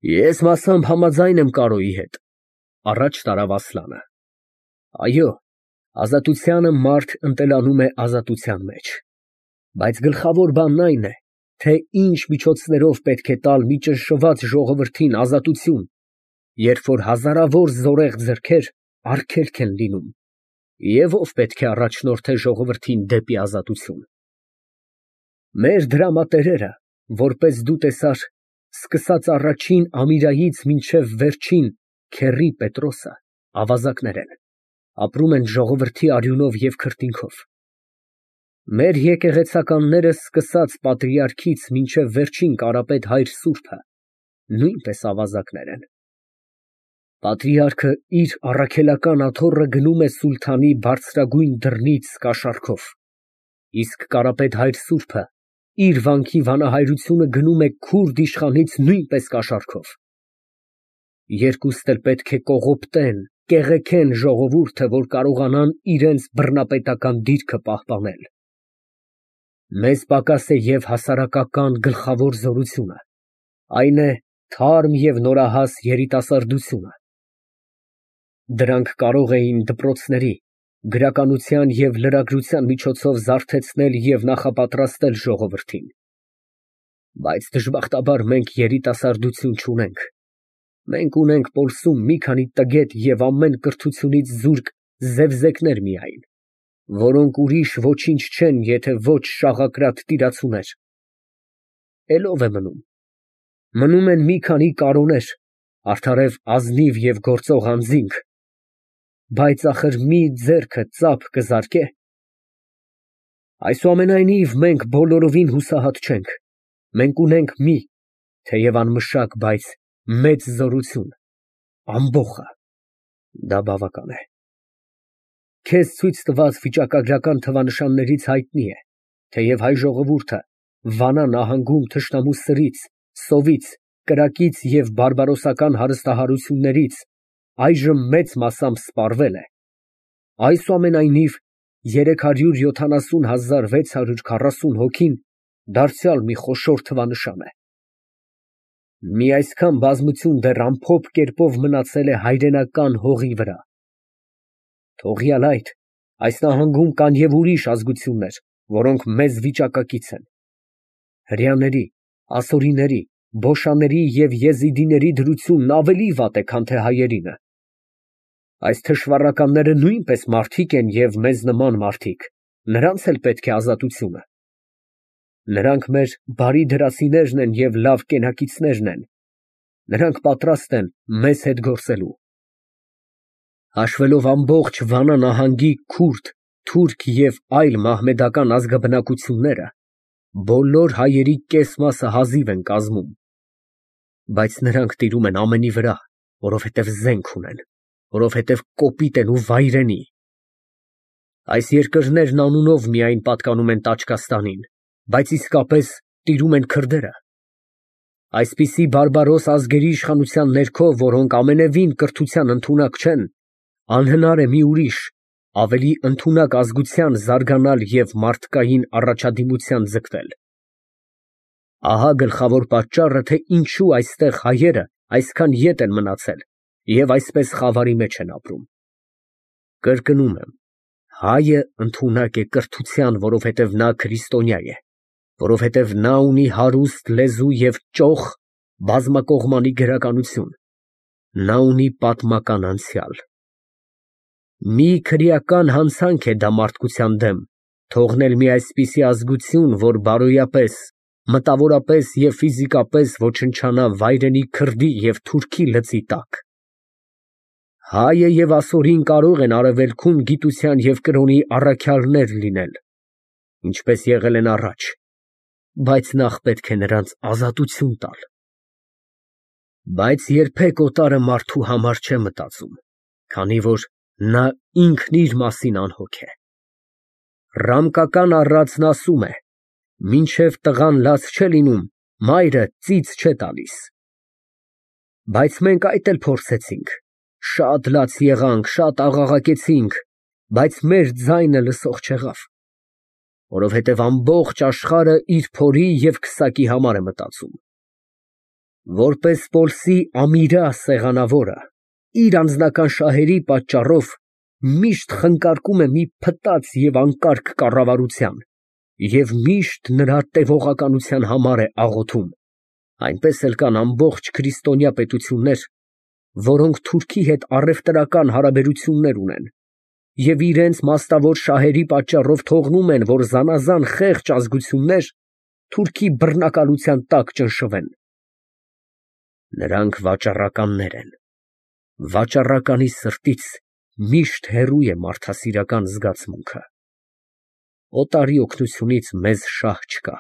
Ես մասամբ համաձայն եմ Կարոյի հետ, առաջ տարավ Ասլանը։ Այո, ազատությանը մարդ ընտելանում է ազատության մեջ, բայց գլխավոր բանն այն է, թե ինչ միջոցներով պետք է տալ մի ճնշված ժողովրդին ազատություն, երբ որ հազարավոր զորեղ ձեռքեր արգելք են լինում, և ով պետք է առաջնորդե ժողովրդին դեպի ազատություն։ Մեր դրամատերերը, որպես դու տեսար, սկսած առաջին Ամիրայից մինչև վերջին քեռի Պետրոսը, ավազակներ են, ապրում են ժողովրդի արյունով և քրտինքով։ Մեր եկեղեցականները սկսած պատրիարքից մինչև վերջին Կարապետ հայր սուրբը, նույնպես ավազակներ են։ Պատրիարքը իր առաքելական աթոռը գնում է սուլթանի բարձրագույն դռնից կաշառքով, իսկ Կարապետ հայր սուրբը իր վանքի վանահայրությունը գնում է քուրդ իշխանից նույնպես կաշառքով։ Երկուստ էլ պետք է կողոպտեն, կեղեքեն ժողովուրդը, որ կարողանան իրենց բռնապետական դիրքը պահպանել։ Մեզ պակաս է և հասարակական գլխավոր զորությունը, այն է թարմ և նորահաս երիտասարդությունը։ Դրանք կարող էին դպրոցների, գրականության և լրագրության միջոցով զարթեցնել և նախապատրաստել ժողովրդին։ Բայց դժբախտաբար մենք երիտասարդություն չունենք։ Մենք ունենք պոլսում մի քանի տգետ և ամեն կրթությունից զուրկ զևզեկներ միայն, որոնք ուրիշ ոչինչ չեն, եթե ոչ շաղակրատ տիրացուներ։ Էլ ո՞վ է մնում։ Մնում են մի քանի կարոներ, արդարև ազնիվ և գործող անձինք, բայց ախր մի ձեռքը ծափ կզարկե՞։ Այսուամենայնիվ, մենք բոլորովին հուսահատ չենք, մենք ունենք մի, թեև անմշակ, բայց մեծ զորություն, ամբոխը, դա բավական է։ Քեզ ցույց տված վիճակագրական թվանշաններից հայտնի է, թեև հայ ժողովուրդը Վանա նահանգում թշնամու սրից, սովից, կրակից և բարբարոսական հարստահարություններից այժմ մեծ մասամբ սպառվել է, այսուամենայնիվ 370,640 հոգին դարձյալ մի խոշոր թվանշան է։ Մի այսքան բազմություն դեռ ամփոփ կերպով մնացել է հայրենական հողի վրա։ Թողյալ այդ, այս նահանգում կան և ուրիշ ազգություններ, որոնք մեզ վիճակակից են։ Հրեաների, ասորիների, բոշաների և եզիդիների դրությունն ավելի վատ է, քան թե հայերինը։ Այս թշվառականները նույնպես մարդիկ են և մեզ նման մարդիկ, նրանց էլ պետք է ազատությունը։ Նրանք մեր բարի դրացիներն են և լավ կենակիցներն են, նրանք պատրաստ են մեզ հետ գործելու։ Հաշվելով ամբողջ Վանա նահանգի քուրդ, թուրք և այլ մահմեդական ազգաբնակությունները, բոլոր հայերի կես մասը հազիվ են կազմում, բայց նրանք տիրում են ամենի վրա, որովհետև զենք ունեն, որովհետև կոպիտ են ու վայրենի։ Այս երկրներն անունով միայն պատկանում են Տաճկաստանին, բայց իսկապես տիրում են քրդերը։ Այսպիսի բարբարոս ազգերի իշխանության ներքո, որոնք ամենևին կրթության ընդունակ չեն, անհնար է մի ուրիշ, ավելի ընդունակ ազգության զարգանալ և մարդկային առաջադիմության ձգտել։ Ահա գլխավոր պատճառը, թե ինչու այստեղ հայերը այսքան ետ են մնացել և այսպես խավարի մեջ են ապրում։ Կրկնում եմ, հայը ընդունակ է կրթության, որովհետև նա քրիստոնյա է, որովհետև նա ունի հարուստ լեզու և ճոխ բազմակողմանի գրականություն, նա ունի պատմական անցյալ։ Մի քրեական հանցանք է դա մարդկության դեմ, թողնել մի այսպիսի ազգություն, որ բարոյապես, մտավորապես և ֆիզիկապես ոչնչանա վայրենի քրդի և թուրքի լծի տակ։ Հայը և ասորին կարող են արևելքում գիտության և կրոնի առաքյալներ լինել, ինչպես եղել են առաջ, բայց նախ պետք է նրանց ազատություն տալ։ Բայց երբեք օտարը մարդու համար չէ մտածում, քանի որ նա ինքն իր մասին անհոգ է։ Ռամկական առածն ասում է. «Մինչև տղան լաց չէ լինում, մայրը ծիծ չէ տալիս»։ Բայց մենք այդ էլ փորձեցինք, շատ լաց եղանք, շատ աղաղակեցինք, բայց մեր ձայնը լսող չեղավ, որովհետև ամբողջ աշխարհը իր փորի և քսակի համար է մտածում։ Որպես Պոլսի Ամիրա սեղանավորը, իր անձնական շահերի պատճառով միշտ խնկարկում է մի փտած և անկարգ կառավարության և միշտ նրա տևողականության համար է աղոթում, այնպես էլ կան ամբողջ քրիստոնյա պետություններ, որոնք Թուրքի հետ առևտրական հարաբերություններ ունեն և իրենց մաստավոր շահերի պատճառով թողնում են, որ զանազան խեղճ ազգություններ Թուրքի բռնակալության տակ ճնշվեն։ Նրանք վաճառականներ են, վաճառականի սրտից միշտ հեռու է մարդասիրական զգացմունքը։ Օտարի օգնությունից մեզ շահ չկա։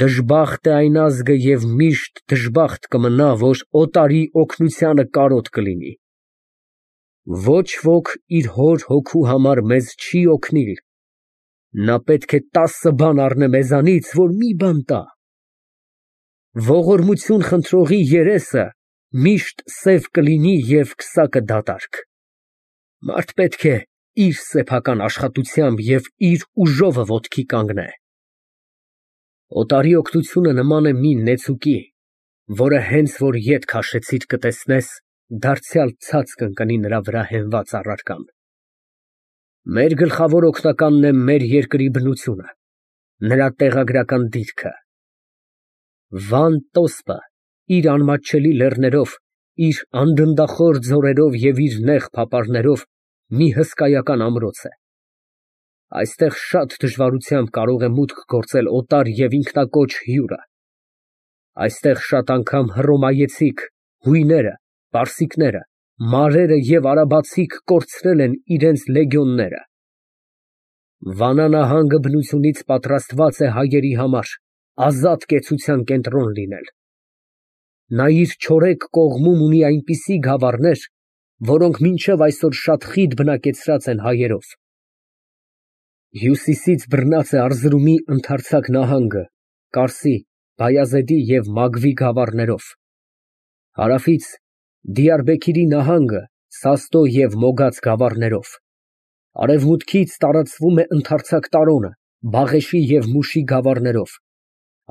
Դժբախտ է այն ազգը և միշտ դժբախտ կմնա, որ օտարի օգնությանը կարոտ կլինի։ Ոչ ոք իր հոր հոգու համար մեզ չի օգնիլ, նա պետք է 10 բան առնե մեզանից, որ մի բան տա։ Ողորմություն խնդրողի երեսը միշտ սև կլինի և քսակը դատարկ։ Մարդ պետք է իր սեփական աշխատությամբ և իր ուժովը ոտքի կանգնե։ Օտարի օգնությունը նման է մի նեցուկի, որը հենց որ ետ քաշեցիր կտեսնես, դարձյալ ցած կընկնի նրա վրա հենված առարկան։ Մեր գլխավոր օգնականն է մեր երկրի բնությունը, նրա տեղագրական դիրքը։ Վան տոսպը իր անմատչելի լեռներով, իր անդնդախոր ձորերով և իր նեղ փապարներով մի հսկայական ամրոց է։ Այստեղ շատ դժվարությամբ կարող է մուտք գործել օտար և ինքնակոչ հյուրը։ Այստեղ շատ անգամ հռոմայեցիք, հույները, պարսիկները, մարերը և արաբացիք կորցրել են իրենց լեգիոնները։ Վանա նահանգը բնությունից պատրաստված է հայերի համար ազատ կեցության կենտրոն լինել։ Նա իր չորեկ կողմում ունի այնպիսի գավառներ, որոնք մինչև այսօր շատ խիտ բնակեցրած են հայերով։ Հյուսիսից բռնած է Արզրումի ընդարձակ նահանգը Կարսի, Բայազեդի և Մագվի գավառներով, հարավից Դիարբեքիրի նահանգը Սաստո և Մոգաձ գավառներով, արևմուտքից տարածվում է ընդարձակ Տարոնը Բաղեշի և Մուշի գավառներով,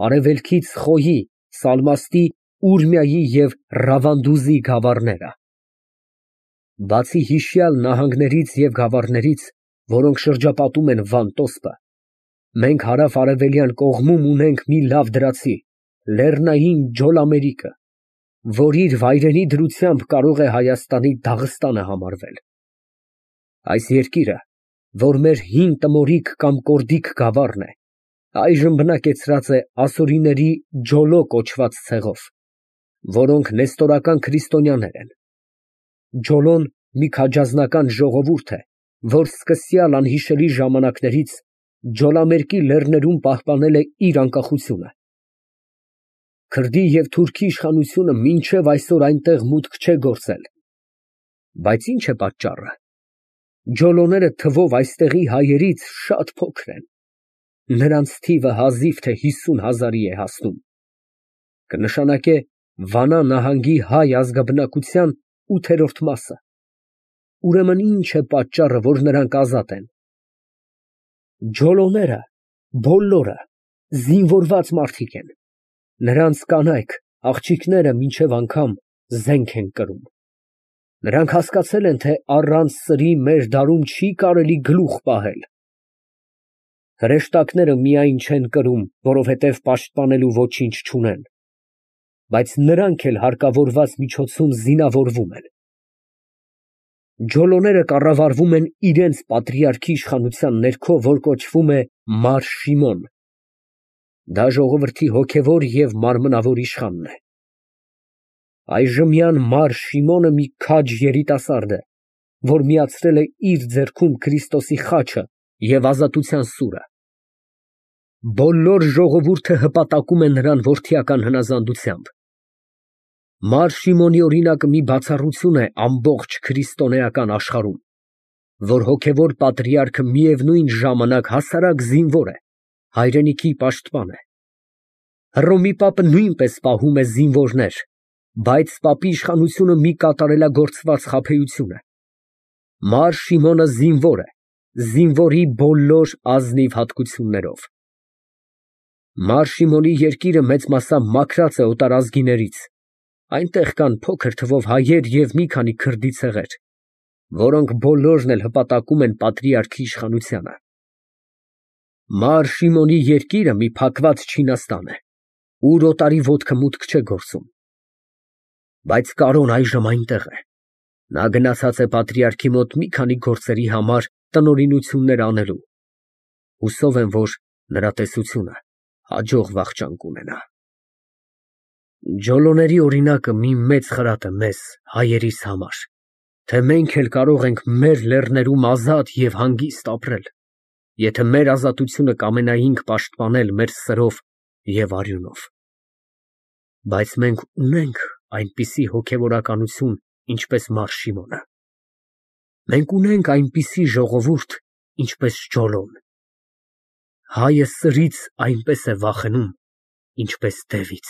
արևելքից Խոյի, Սալմաստի, Ուրմիայի և Ռավանդուզի գավառները։ Բացի հիշյալ նահանգներից և գավառներից, որոնք շրջապատում են Վան տոսպը, մենք հարավ֊արևելյան կողմում ունենք մի լավ դրացի՝ լեռնային Ջոլամերիկը, որ իր վայրենի դրությամբ կարող է Հայաստանի Դաղստանը համարվել։ Այս երկիրը, որ մեր հին Տմորիկ կամ Կորդիկ գավառն է, այժմ բնակեցրած է ասորիների Ջոլո կոչված ցեղով, որոնք նեստորական քրիստոնյաներ են։ Ջոլոն մի քաջազնական ժողովուրդ է, որ սկսյալ անհիշելի ժամանակներից Ջոլամերկի լեռներում պահպանել է իր անկախությունը։ Քրդի և թուրքի իշխանությունը մինչև այսօր այնտեղ մուտք չէ գործել։ Բայց ի՞նչ է պատճառը։ Ջոլոները թվով այստեղի հայերից շատ փոքր են։ Նրանց թիվը հազիվ թե 50,000-ի է հասնում։ Կնշանակե Վանա նահանգի հայ ազգաբնակության 8-րդ մասը։ Ուրեմն ի՞նչ է պատճառը, որ նրանք ազատ են։ Ջոլոները բոլորը զինվորված մարդիկ են։ Նրանց կանայք, աղջիկները մինչև անգամ զենք են կրում։ Նրանք հասկացել են, թե առանց սրի մեր դարում չի կարելի գլուխ պահել։ Հրեշտակները միայն չեն կրում, որովհետև պաշտպանելու ոչինչ չունեն, բայց նրանք էլ հարկավորված միջոցում զինավորվում են։ Ջոլոները կառավարվում են իրենց պատրիարքի իշխանության ներքո, որ կոչվում է Մար Շիմոն։ Դա ժողովրդի հոգևոր և մարմնավոր իշխանն է։ Այժմյան Մար Շիմոնը մի քաջ երիտասարդ է, որ միացրել է իր ձեռքում Քրիստոսի խաչը և ազատության սուրը։ Բոլոր ժողովուրդը հպատակում է նրան որդիական հնազանդությամբ։ Մար Շիմոնի օրինակը մի բացառություն է ամբողջ քրիստոնեական աշխարհում, որ հոգևոր պատրիարքը միևնույն ժամանակ հասարակ զինվոր է, հայրենիքի պաշտպան է։ Հռոմի պապը նույնպես պահում է զինվորներ, բայց պապի իշխանությունը մի կատարելագործված խաբեություն է։ Մար Շիմոնը զինվոր է, զինվորի բոլոր ազնիվ հատկություններով։ Մար Շիմոնի երկիրը մեծ մասամբ մաքրած է օտարազգիներից, այնտեղ կան փոքր թվով հայեր և մի քանի քրդի ցեղեր, որոնք բոլորն էլ հպատակում են պատրիարքի իշխանությանը։ Մար Շիմոնի երկիրը մի փակված Չինաստան է, ուր օտարի ոտքը մուտք չէ գործում։ Բայց Կարոն այժմ այնտեղ է։ Նա գնացած է պատրիարքի մոտ մի քանի գործերի համար տնօրինություններ անելու։ Հուսով եմ, որ նրա տեսությունը հաջող վախճան կունենա։ Ջոլոների օրինակը մի մեծ խրատ է մեզ, հայերիս համար, թե մենք էլ կարող ենք մեր լեռներում ազատ և հանգիստ ապրել, եթե մեր ազատությունը կամենայինք պաշտպանել մեր սրով և արյունով։ Բայց մենք ունենք այնպիսի հոգևորականություն, ինչպես Մար Շիմոնը։ Մենք ունենք այնպիսի ժողովուրդ, ինչպես Ջոլոն։ Հայը սրից այնպես է վախենում, ինչպես դևից։